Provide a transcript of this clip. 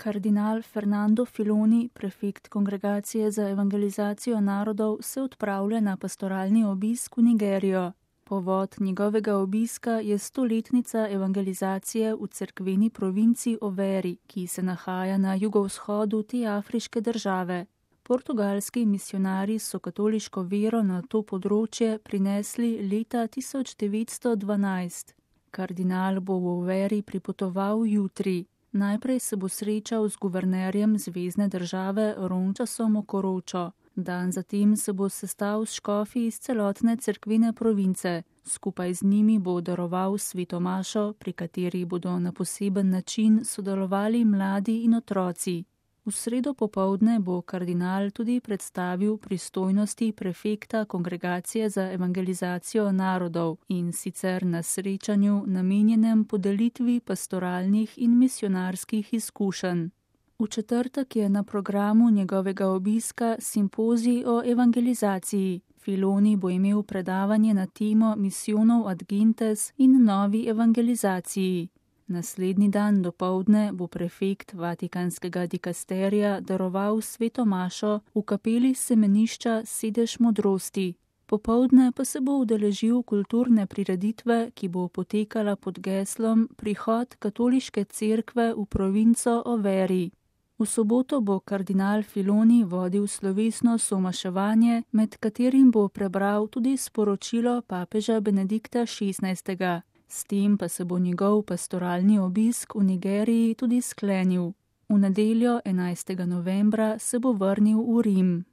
Kardinal Fernando Filoni, prefekt Kongregacije za evangelizacijo narodov, se odpravlja na pastoralni obisk v Nigerijo. Povod njegovega obiska je 100-letnica evangelizacije v cerkveni provinci Overi, ki se nahaja na jugovzhodu te afriške države. Portugalski misionarji so katoliško vero na to področje prinesli leta 1912. Kardinal bo v Overi pripotoval jutri. Najprej se bo srečal z guvernerjem zvezne države Rončasom Okoročo. Dan zatem se bo sestal s škofi iz celotne cerkvene province. Skupaj z njimi bo daroval sveto mašo, pri kateri bodo na poseben način sodelovali mladi in otroci. V sredo popoldne bo kardinal tudi predstavil pristojnosti prefekta Kongregacije za evangelizacijo narodov, in sicer na srečanju namenjenem podelitvi pastoralnih in misionarskih izkušenj. V četrtek je na programu njegovega obiska simpozij o evangelizaciji. Filoni bo imel predavanje na temo Missionov ad Gentes in novi evangelizaciji. Naslednji dan dopoldne bo prefekt Vatikanskega dikasterija daroval sveto mašo v kapeli semenišča Sedež modrosti. Popoldne pa se bo udeležil kulturne prireditve, ki bo potekala pod geslom Prihod katoliške cerkve v provinco Overi. V soboto bo kardinal Filoni vodil slovesno somaševanje, med katerim bo prebral tudi sporočilo papeža Benedikta XVI. S tem pa se bo njegov pastoralni obisk v Nigeriji tudi sklenil. V nedeljo 11. novembra se bo vrnil v Rim.